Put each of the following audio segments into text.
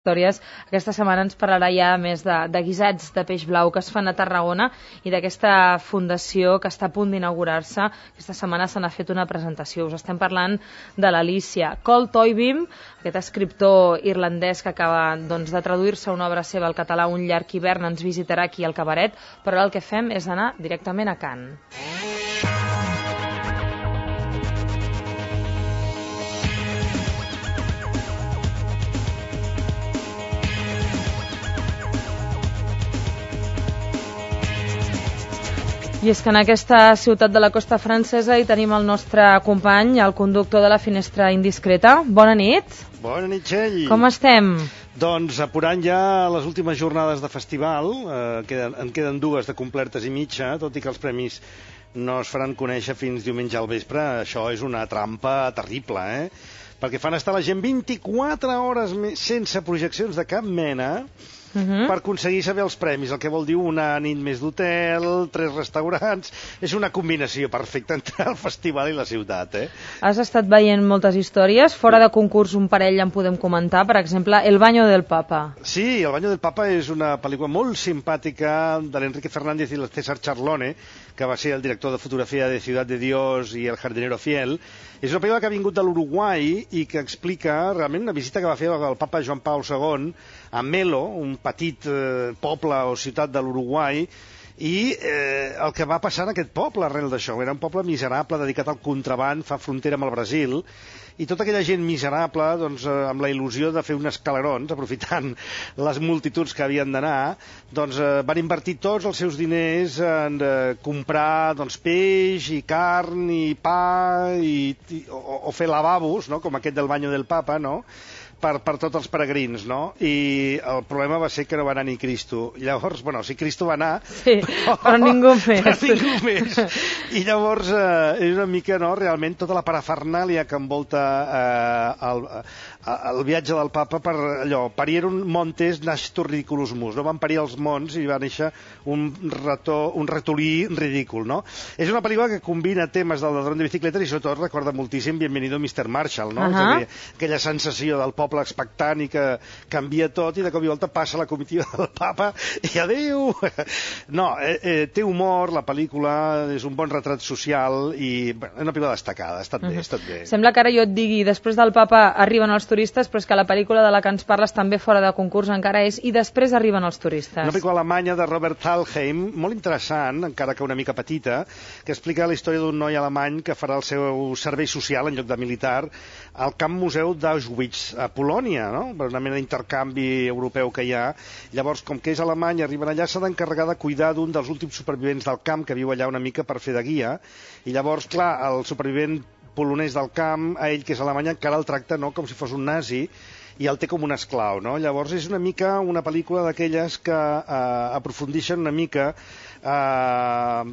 històries. Aquesta setmana ens parlarà ja més de guisats de peix blau que es fan a Tarragona i d'aquesta fundació que està a punt d'inaugurar-se. Aquesta setmana se n'ha fet una presentació. Us estem parlant de l'Alícia. Col Toibim, aquest escriptor irlandès que acaba de traduir-se una obra seva al català, Un llarg hivern, ens visitarà aquí al Cabaret, però el que fem és anar directament a Cannes. I és que en aquesta ciutat de la costa francesa hi tenim el nostre company, el conductor de la Finestra Indiscreta. Bona nit. Bona nit, Txell. Com estem? Doncs apurant ja les últimes jornades de festival, en queden dues de complertes i mitja, tot i que els premis no es faran conèixer fins diumenge al vespre. Això és una trampa terrible, perquè fan estar la gent 24 hores sense projeccions de cap mena, per aconseguir saber els premis, el que vol dir una nit més d'hotel, 3 restaurants. És una combinació perfecta entre el festival i la ciutat. Has estat veient moltes històries. Fora de concurs, un parell en podem comentar. Per exemple, El baño del Papa. Sí, El baño del Papa és una pel·lícula molt simpàtica de l'Enrique Fernández i el César Charlone, que va ser el director de fotografia de Ciudad de Dios i El jardinero fiel. És una pel·lícula que ha vingut de l'Uruguai i que explica realment una visita que va fer el papa Joan Pau II a Melo, un petit poble o ciutat de l'Uruguai, i el que va passar en aquest poble arrel d'això. Era un poble miserable dedicat al contraban, fa frontera amb el Brasil, i tota aquella gent miserable, doncs, amb la il·lusió de fer uns escalerons, aprofitant les multituds que havien d'anar, doncs, van invertir tots els seus diners en comprar peix i carn i pa o fer lavabos, no? Com aquest del Baño del Papa, no? Per tots els peregrins, no? I el problema va ser que no va anar ni Cristo. Llavors, sí, Cristo va anar, sí, però ningú més. Però ningú més. I llavors és una mica, no?, realment tota la parafernàlia que envolta el viatge del papa per allò. Parieron montes nascitur ridiculusmus, no? Van parir els mons i va néixer un ratolí ridícul, no? És una pel·lícula que combina temes del ladrón de bicicletes i sobretot recorda moltíssim Bienvenido Mr. Marshall, no? Aquella sensació del poble expectant i que canvia tot i de cop i volta passa la comitiva del papa i adéu! No, té humor, la pel·lícula és un bon retrat social i és una pel·lícula destacada, ha estat bé, ha estat bé. Sembla que ara jo et digui, després del papa arriben els turistes, però és que la pel·lícula de la que ens parles també fora de concurs encara és i després arriben els turistes. Una pel·lícula alemanya de Robert Thalheim, molt interessant, encara que una mica petita, que explica la història d'un noi alemany que farà el seu servei social en lloc de militar al Camp Museu d'Auschwitz, a Polònia, no? Per una mena d'intercanvi europeu que hi ha. Llavors, com que és alemany, arriben allà, s'ha d'encarregar de cuidar d'un dels últims supervivents del camp que viu allà una mica per fer de guia. I llavors, clar, el supervivent polonès del camp, a ell, que és alemany, encara el tracta, no?, com si fos un nazi, i el té com un esclau, no? Llavors és una mica una pel·lícula d'aquelles que aprofundeixen una mica en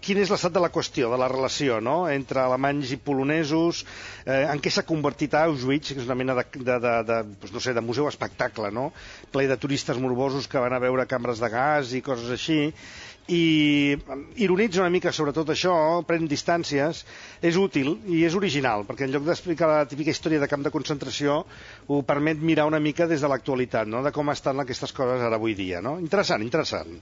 quin és l'estat de la qüestió, de la relació, no?, entre alemanys i polonesos, en què s'ha convertit Auschwitz, que és una mena de museu espectacle, no?, ple de turistes morbosos que van a veure cambres de gas i coses així, i ironitza una mica sobre tot això, pren distàncies, és útil i és original, perquè en lloc d'explicar la típica història de camp de concentració ho permet mirar una mica des de l'actualitat, no?, de com estan aquestes coses ara avui dia, no? Interessant, interessant.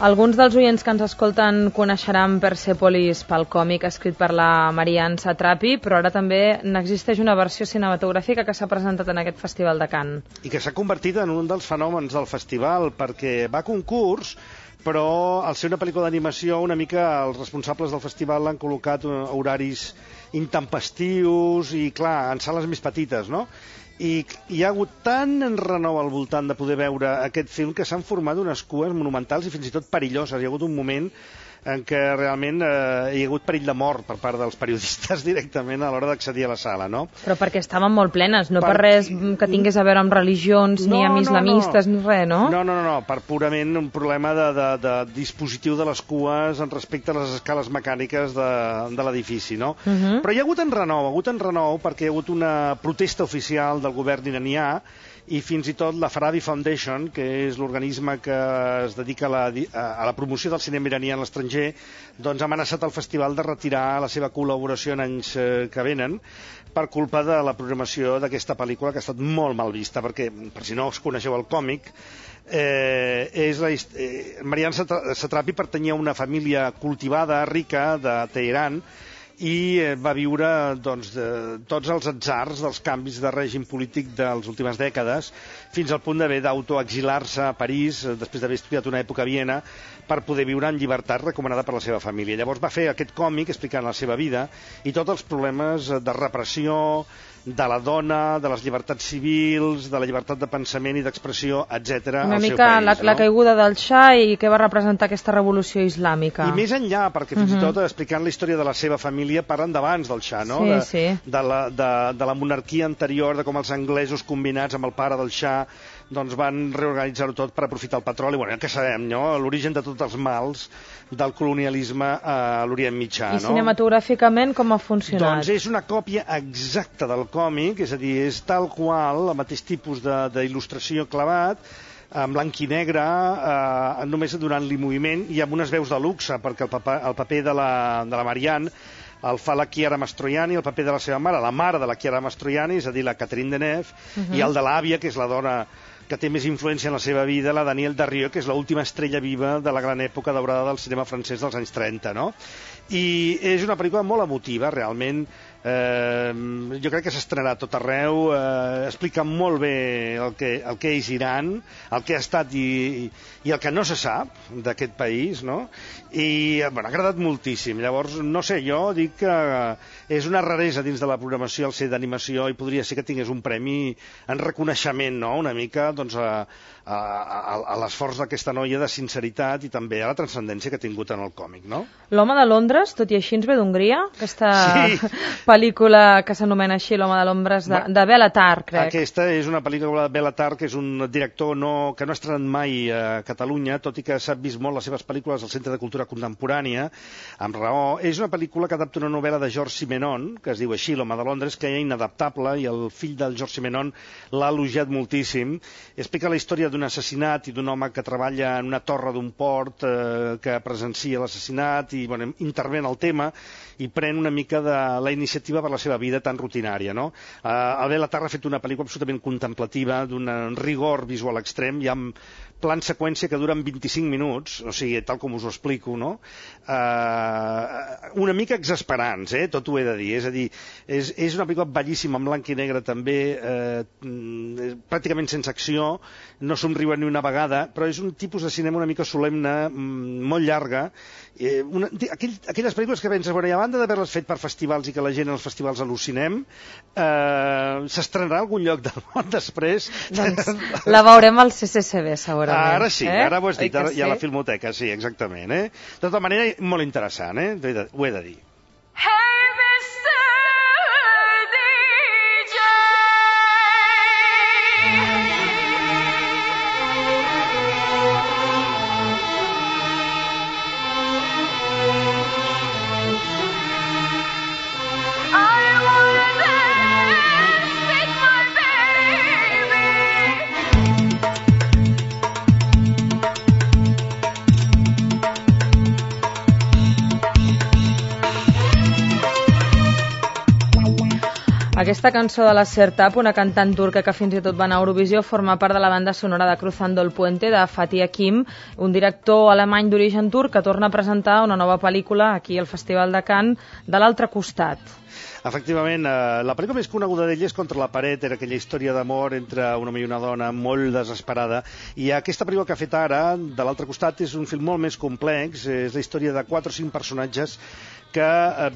Alguns dels oients que ens escolten coneixeran Persepolis pel còmic escrit per la Marianne Satrapi, però ara també n'existeix una versió cinematogràfica que s'ha presentat en aquest Festival de Cannes. I que s'ha convertit en un dels fenòmens del festival, perquè va a concurs, però al ser una pel·lícula d'animació una mica els responsables del festival l'han col·locat horaris intempestius i, clar, en sales més petites, no? I hi ha hagut tant enrenou al voltant de poder veure aquest film que s'han format unes cues monumentals i fins i tot perilloses. Hi ha hagut un moment en què realment hi ha hagut perill de mort per part dels periodistes directament a l'hora d'accedir a la sala, no? Però perquè estaven molt plenes, no per res que tingués a veure amb religions, ni amb islamistes, ni res, no? No, per purament un problema de dispositiu de les cues en respecte a les escales mecàniques de l'edifici, no? Però hi ha hagut enrenou perquè hi ha hagut una protesta oficial del govern iranià i fins i tot la Farabi Foundation, que és l'organisme que es dedica a la promoció del cinema iraní a l'estranger, doncs ha amenaçat el festival de retirar la seva col·laboració en anys que venen per culpa de la programació d'aquesta pel·lícula, que ha estat molt mal vista, perquè, per si no us coneixeu el còmic, Marian Satrapi pertanyia a una família cultivada, rica, de Teheran, i va viure tots els atzars dels canvis de règim polític de les últimes dècades, fins al punt d'haver d'autoexilar-se a París, després d'haver estudiat una època a Viena, per poder viure en llibertat recomanada per la seva família. Llavors va fer aquest còmic explicant la seva vida i tots els problemes de repressió, de la dona, de les llibertats civils, de la llibertat de pensament i d'expressió, etc. Una mica la caiguda del Shah i què va representar aquesta revolució islàmica. I més enllà, perquè fins i tot explicant la història de la seva família parlen d'abans del Shah, no? De la monarquia anterior, de com els anglesos combinats amb el pare del Shah doncs van reorganitzar-ho tot per aprofitar el petroli. Bueno, ja que sabem, no? L'origen de tots els mals del colonialisme a l'Orient Mitjà. I cinematogràficament com ha funcionat? Doncs és una còpia exacta del còmic, és a dir, és tal qual, el mateix tipus d'il·lustració clavat, en blanc i negre, només donant-li moviment i amb unes veus de luxe, perquè el paper de la Marianne el fa la Chiara Mastroianni, el paper de la seva mare, la mare de la Chiara Mastroianni, és a dir, la Catherine Deneuve, i el de l'àvia, que és la dona que té més influència en la seva vida, la Danielle Darrieux, que és l'última estrella viva de la gran època daurada del cinema francès dels anys 30, no? I és una pel·lícula molt emotiva, realment. Jo crec que s'estrenarà a tot arreu, explica molt bé el que és Iran, el que ha estat i el que no se sap d'aquest país, no? I ha agradat moltíssim. Llavors, no sé, jo dic que és una raresa dins de la programació el ser d'animació i podria ser que tingués un premi en reconeixement, no?, una mica doncs, a l'esforç d'aquesta noia de sinceritat i també a la transcendència que ha tingut en el còmic, no? L'home de Londres, tot i així, ens ve d'Hongria? Aquesta pel·lícula que s'anomena així, L'home de Londres, de Béla Tarr, crec. Aquesta és una pel·lícula de Béla Tarr, que és un director que no ha estrenat mai a Catalunya, tot i que s'ha vist molt les seves pel·lícules al Centre de Cultura Contemporània, amb raó. És una pel·lícula que adapta una novel·la de Georges Simenon, que es diu així, L'home de Londres, que era inadaptable, i el fill del Georges Simenon l'ha elogiat moltíssim. Explica la història d'un assassinat i d'un home que treballa en una torre d'un port que presencia l'assassinat i intervé en el tema i pren una mica de la iniciativa per la seva vida tan rutinària, no? El Béla Tarr ha fet una pel·lícula absolutament contemplativa, d'un rigor visual extrem, hi ha plans seqüència que duren 25 minuts, o sigui, tal com us ho explico, no? Una mica exasperants, tot ho he de dir. És a dir, és una pel·lícula bellíssima, en blanc i negre també, pràcticament sense acció, no somriuen ni una vegada, però és un tipus de cinema una mica solemne, molt llarga. Aquelles pel·lícules que penses, bueno, i a banda d'haver-les fet per festivals i que la gent als festivals al·lucinem, s'estrenarà a algun lloc del món després? Doncs la veurem al CCCB, segurament. Ara sí, ara ho has dit, i a la Filmoteca, sí, exactament. De tota manera, molt interessant, ho he de dir. Aquesta cançó de la Sertab, una cantant turca que fins i tot va anar a Eurovisió, forma part de la banda sonora de Cruzando el Puente, de Fatih Akin, un director alemany d'origen turc que torna a presentar una nova pel·lícula aquí al Festival de Cannes, de l'altre costat. Efectivament, la pel·lícula més coneguda d'ell és Contra la paret, era aquella història d'amor entre un home i una dona molt desesperada, i aquesta pel·lícula que ha fet ara, de l'altre costat, és un film molt més complex, és la història de 4 o 5 personatges que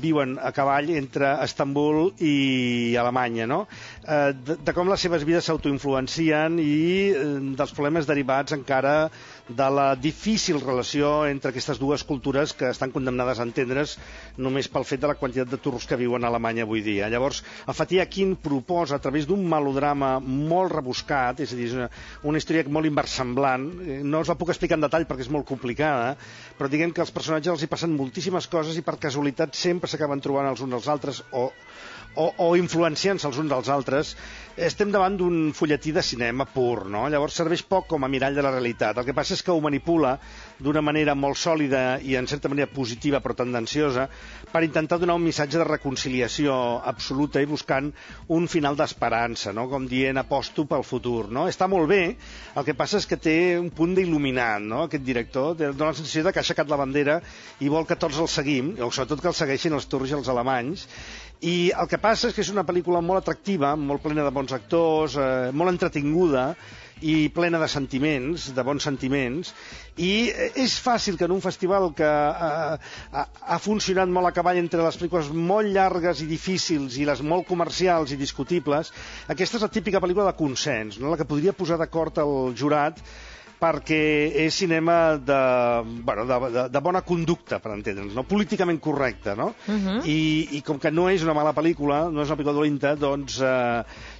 viuen a cavall entre Estambul i Alemanya, no? De com les seves vides s'autoinfluencien i dels problemes derivats encara de la difícil relació entre aquestes dues cultures que estan condemnades a entendre's només pel fet de la quantitat de turcs que viuen a Alemanya avui dia. Llavors, el Fatih Akin proposa, a través d'un melodrama molt rebuscat, és a dir, una història molt inversemblant, no us la puc explicar en detall perquè és molt complicada, però diguem que als personatges els hi passen moltíssimes coses i per casualitat sempre s'acaben trobant els uns als altres o influenciant-se els uns dels altres. Estem davant d'un fulletí de cinema pur, no? Llavors serveix poc com a mirall de la realitat. El que passa és que ho manipula d'una manera molt sòlida i en certa manera positiva però tendenciosa per intentar donar un missatge de reconciliació absoluta i buscant un final d'esperança, no? Com dient aposto pel futur, no? Està molt bé, el que passa és que té un punt d'il·luminat, no? Aquest director dona la sensació de que ha aixecat la bandera i vol que tots el seguim, o sobretot que el segueixin els turcs i els alemanys. I el que passa és que és una pel·lícula molt atractiva, molt plena de bons actors, molt entretinguda i plena de sentiments, de bons sentiments, i és fàcil que en un festival que ha funcionat molt a cavall entre les pel·lícules molt llargues i difícils i les molt comercials i discutibles, aquesta és la típica pel·lícula de consens, no? La que podria posar d'acord el jurat perquè és cinema de bona conducta, per entendre'ns, no? Políticament correcte, no? I com que no és una mala pel·lícula, no és una pel·lícula dolenta, doncs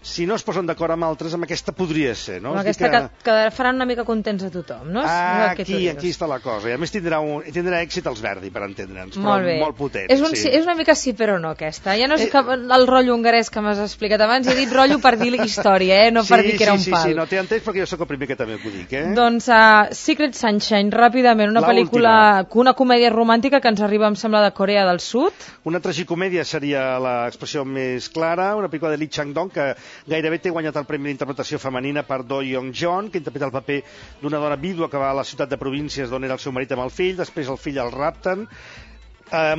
si no es posen d'acord amb altres, amb aquesta podria ser, no? Amb aquesta que faran una mica contents a tothom, no? Aquí està la cosa, i a més tindrà èxit els Verdi, per entendre'ns, però molt potent. És una mica sí però no, aquesta. Ja no és el rotllo hongarès que m'has explicat abans, he dit rotllo per dir història, no per dir que era un pal. Sí, no t'he entès perquè jo sóc el primer que també ho dic, Doncs Secret Sunshine, ràpidament, una pel·lícula, una comèdia romàntica que ens arriba, em sembla, de Corea del Sud. Una tragicomèdia seria l'expressió més clara, una pel·lícula de Lee Chang-dong que gairebé té guanyat el Premi d'Interpretació Femenina per Do Young-jeon, que interpreta el paper d'una dona vídua que va a la ciutat de províncies d'on era el seu marit amb el fill, després el fill el rapten,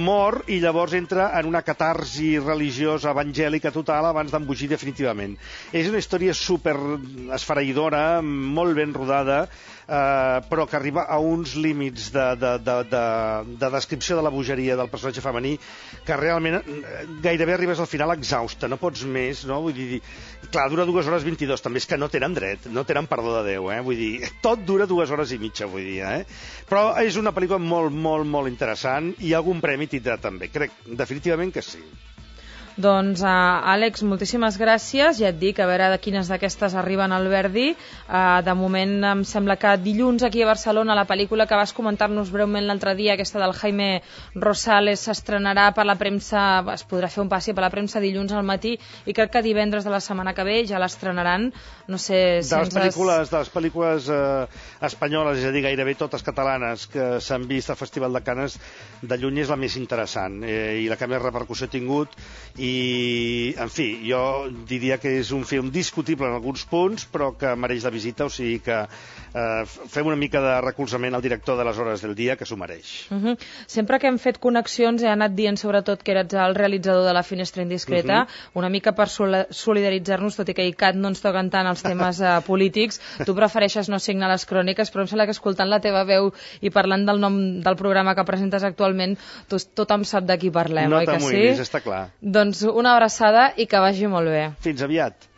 mor i llavors entra en una catarsi religiosa evangèlica total abans d'embogir definitivament. És una història super esfereïdora, molt ben rodada, però que arriba a uns límits de descripció de la bogeria del personatge femení que realment gairebé arribes al final exhausta, no pots més, no? Vull dir, clar, dura 2 hores 22, també és que no tenen dret, no tenen perdó de Déu, vull dir, tot dura 2 hores i mitja, vull dir, però és una pel·lícula molt, molt, molt interessant i algun premi tindrà també, crec definitivament que sí. Doncs, Àlex, moltíssimes gràcies. Ja et dic, a veure de quines d'aquestes arriben al Verdi. De moment, em sembla que dilluns aquí a Barcelona la pel·lícula que vas comentar-nos breument l'altre dia, aquesta del Jaime Rosales, s'estrenarà per la premsa, es podrà fer un passi per la premsa dilluns al matí i crec que divendres de la setmana que ve ja l'estrenaran. No sé si de les pel·lícules espanyoles, és a dir, gairebé totes catalanes que s'han vist al Festival de Canes, de lluny és la més interessant i la que més repercussió ha tingut. I, en fi, jo diria que és un film discutible en alguns punts, però que mereix la visita, o sigui que fem una mica de recolzament al director de Les hores del dia, que s'ho mereix. Sempre que hem fet connexions he anat dient sobretot que eres el realitzador de La finestra indiscreta, una mica per solidaritzar-nos, tot i que ICAT no ens toquen tant els temes polítics. Tu prefereixes no signar les cròniques, però em sembla que escoltant la teva veu i parlant del nom del programa que presentes actualment, tothom sap de qui parlem, oi que sí? No t'amoïnis, està clar. Doncs una abraçada i que vagi molt bé. Fins aviat.